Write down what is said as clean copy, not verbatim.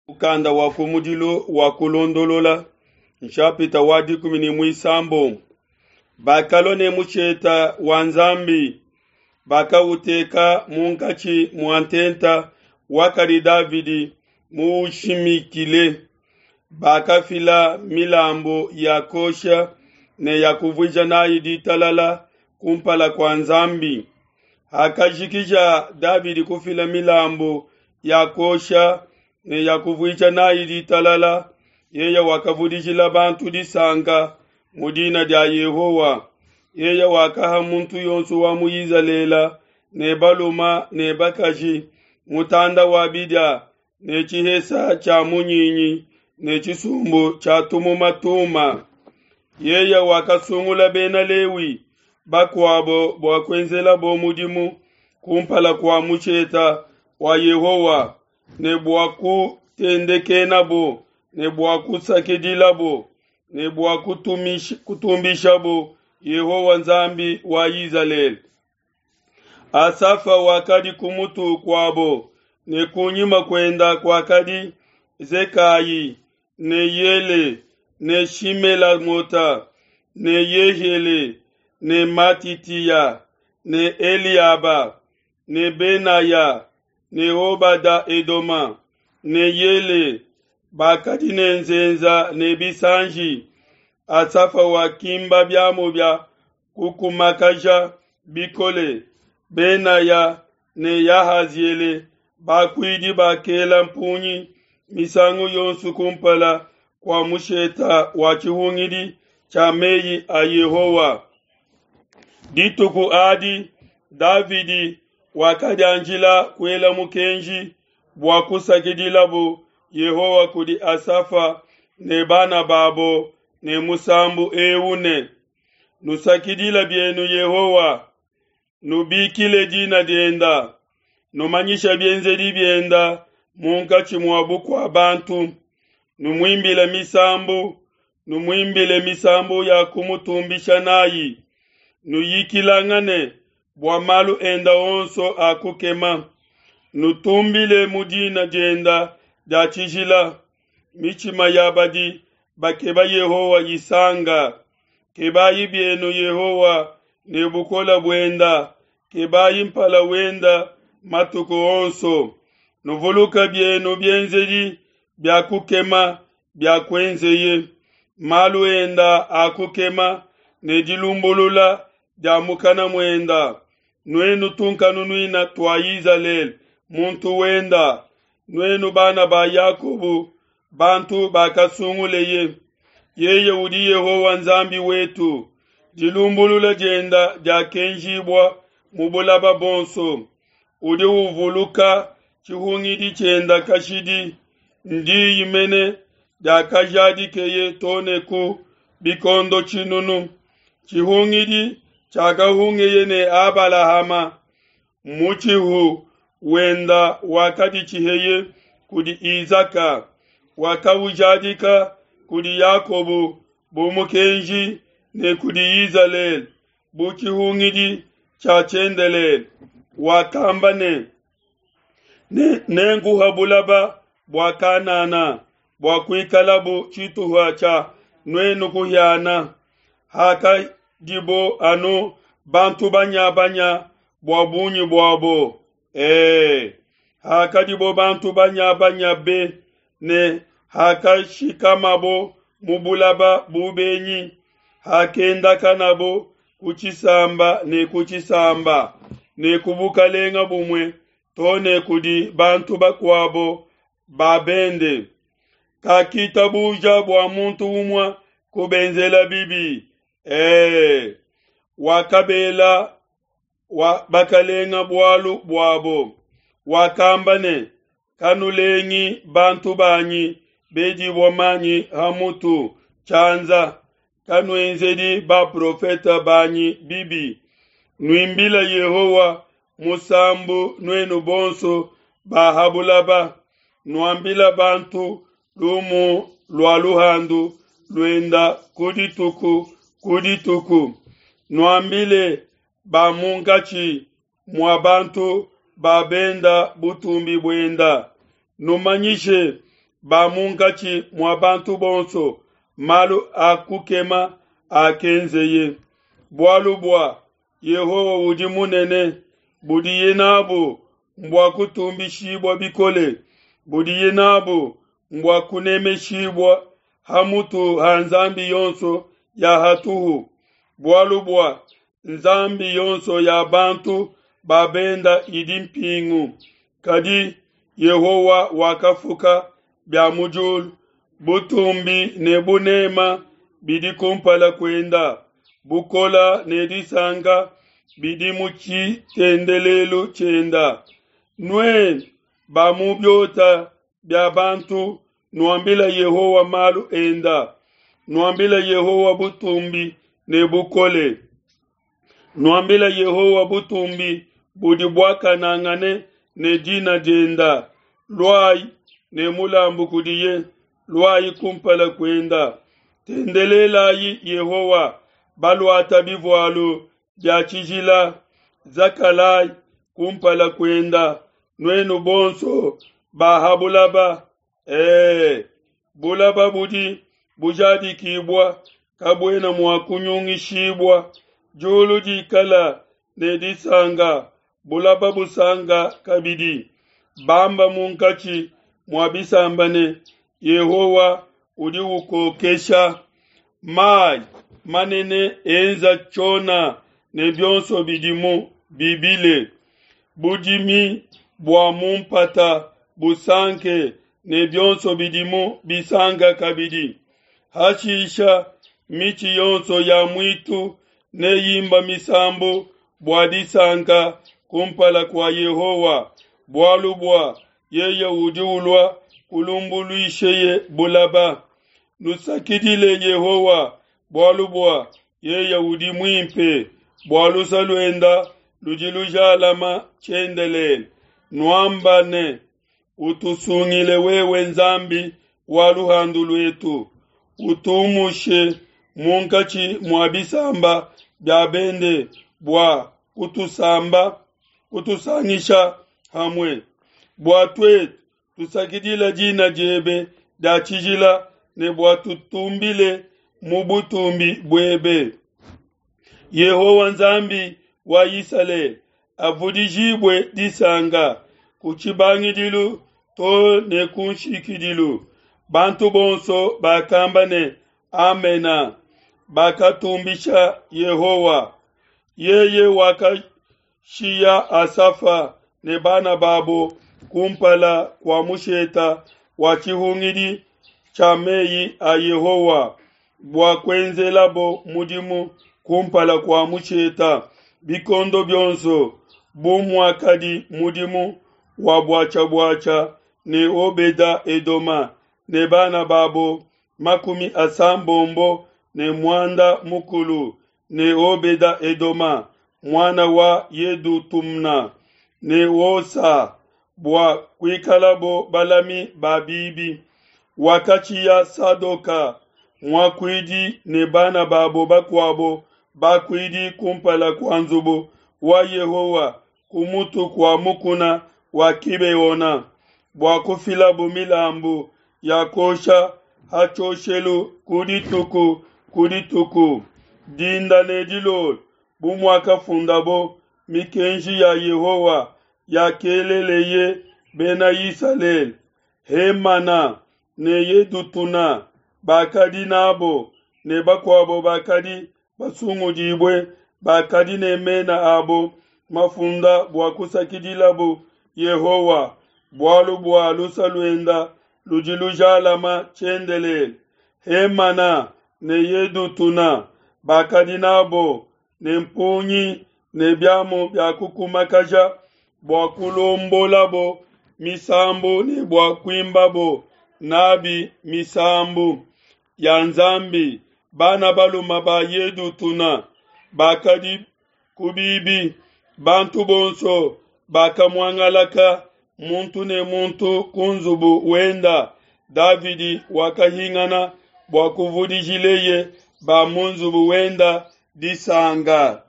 Mukanda wa kumudilu wa Kulondolola, nshapita wa 16. Bakalua ne musheta wa Nzambi, bakauteka munkatshi mua ntenta wakadi Davidi muushimikile. Bakafila milambu ya kosha ne ya kuvuija nayi ditalala kumpala kua Nzambi. Hakajikija Davidi kufila milambu ya kosha ne ya kuvuija nayi ditalala, yeye wakavudijila bantu disanka mu dina dia Yehowa. Yeye wakaha muntu yonso wa mu Izalele ne balume ne bakaji mutanda wa bidia ne tshihesa tshia munyinyi ne tshisumbu tshia tumuma tuma. Yeye wakasungula Bena Lewi bakuabo bua kuenzelabo mudimu kumpala kua musheta wa Yehowa ne bua kutendekenabo ne bua kusakidilabo ne bua kutumbishabo Yehowa Nzambi wa Izalele. Asafa wakadi ku mutu kuabo, ne kunyima kuenda kuakadi Zekayi ne Yele ne Shimelamota ne Yehiele ne Matitiya ne Eliaba ne Benaya ne Obada Edoma ne Yele bakadi ne nzenza ne bisanji. Asafa wakimba biamu bia kukumakaja bikole. Benaya ne Yahaziele bakuidi bakela mpungi misangu yonso kumpala kua musheta wa tshihungidi tshia meyi a Yehowa. Dituku adi Davidi wakadianjila kuela mukenji bua kusakidilabu Yehowa kudi Asafa ne bana babo ne musambu eu ne: Nusakidile bienu Yehowa, nubikile dina dienda, numanyishe bienzedi bienda munkatshi mua bukua bantu, numuimbile misambu, numuimbile misambu ya kumutumbisha nayi, nuyikilangane bua malu enda onso a kukema, nutumbile mu dina dienda dia tshijila. Mitshima ya badi bakeba Yehowa isanga. Kebayi bienu Yehowa ne bukole buenda, kebayi mpala wenda matuku onso. Nuvuluke bienu bienzedi bia kukema bia kuenzeye, malu enda a kukema ne dilumbulula dia mukana muenda. Nuenu tunkanunuina tua Izalele, muntu wenda, nuenu bana ba Yakobo, bantu bakasunguleye. Yeye udi Yehowa Nzambi wetu, dilumbulula dienda diakenjibua mu bulaba bonso. Udi uvuluka tshihungidi tshienda kashidi, ndiyi mene diakajadikeye too ne ku bikondo tshinunu. Tshihungidi tshiakahungeye ne Abalahama, mutshihu wenda wakaditshiheye kudi Izaka, wakaujadika kudi Yakobo bu mukenji ne kudi Izalele bu tshihungidi tshia tshiendelele. Wakamba ne, Nenkuha bulaba bua Kanana bua kuikalabu tshituha tshia nuenu kuhiana. Hakadibo anu bantu banya-banya bua bungi buabo, e, hakadibo bantu banya-banya be, ne hakashikamabo mu bulaba bu benyi, hakendakanabo ku tshisamba ne ku tshisamba ne ku bukalenga bumue too ne kudi bantu bakuabo ba bende. Kakitabuja bua muntu umue kubenzela bibi, e, wakabela wa bakalenga bualu buabo. Wakamba ne, Kanulengi bantu banyi bedibua manyi ha mutu tshianza, kanuenzedi baprofete banyi bibi. Nuimbile Yehowa musambu nuenu bonso ba ha bulaba, nuambile bantu lumu lua luhandu luenda ku dituku ku dituku. Nuambile ba munkatshi mua bantu ba benda butumbi buenda. Numanyishe ba munkatshi mua bantu bonso malu a kukema akenzeye. Bualu bua Yehowa udi munene, budiye nabu mbua kutumbishibua bikole, budiye nabu mbua kunemeshibua ha mutu ha nzambi yonso ya hatuhu. Bualu bua nzambi yonso ya bantu ba benda idi mpingu, kadi Yehowa wakafuka bia mu diulu. Butumbi ne bunema bidi kumpala kuenda, bukola ne disanka bidi mu tshitendelelu tshienda. Nuenu ba mu biota bia bantu, nuambile Yehowa malu enda, nuambile Yehowa butumbi ne bukole. Nuambile Yehowa butumbi budi buakanangane ne dina dienda. Luayi ne mulambu kudiye, luayi kumpala kuenda. Tendelelayi Yehowa, baluata bivualu bia tshijila. Zakalayi kumpala kuenda, nuenu bonso ba ha bulaba. Ee, bulaba budi bujadikibua kabuena mua kunyungishibua. Diulu dikala ne disanka, bulaba busanka kabidi. Bamba munkatshi mua bisamba ne, Yehowa udi ukokesha. Mayi manene enza tshiona ne bionso bidimu bibile. Budimi bua mu mpata busanke ne bionso bidimu bisanka kabidi. Hashisha mitshi yonso ya muitu neyimba misambu bua disanka kumpala kua Yehowa, bualu bua yeye udi ulua kulumbuluisheye bulaba. Nusakidile Yehowa, bualu bua yeye udi muimpe, bua luse luenda ludi lujalama tshiendelele. Nuamba ne, utusungile wewe Nzambi wa luhandu luetu, utumushe munkatshi mua bisamba bia bende bua kutusamba, kutusangisha hamue, bua tuetu tusakidila dina diebe dia tshijila ne bua tutumbile mu butumbi buebe. Yehowa Nzambi wa Isalele avudijibue disanka ku tshibangidilu to ne ku nshikidilu. Bantu bonso bakamba ne, Amena. Bakatumbisha Yehowa. Yeye wakashiya Asafa ne bana babo kumpala kua musheta wa tshihungidi tshia meyi a Yehowa bua kuenzelabo mudimu kumpala kua musheta bikondo bionso, bu muakadi mudimu wa buatshia-buatshia ne Obeda Edoma ne bana babo 35 ne Obeda Edoma muana wa Yedutumna ne Osa bua kuikalabo balami ba bibi. Wakatshiya Sadoka muakuidi ne bana babo bakuabo bakuidi kumpala kua nzubu wa Yehowa ku mutu kua mukuna wa Kibeona bua kufilabo milambu ya kuosha ha tshioshelu ku dituku ku dituku, dinda ne dilolo, bu muakafundabo mikenji ya Yehowa yakeleleye Bena Isalele. Hemana ne Yedutuna bakadi nabo, ne bakuabo bakadi basungudibue bakadi ne mena abo mafunda bua kusakidilabo Yehowa, bualu bua luse luenda ludi lujalama tshiendelele. Hemana ne Yedutuna bakadi nabo ne mpungi ne biamu bia kukumakaja bua kulombolabo misambu ne bua kuimbabo nabi misambu ya Nzambi. Bana baluma ba Yedutuna bakadi ku bibi, bantu bonso bakamuangalaka muntu ne muntu ku nzubu wenda. Davidi wakahingana bua kuvudijileye ba mu nzubu wenda disanka.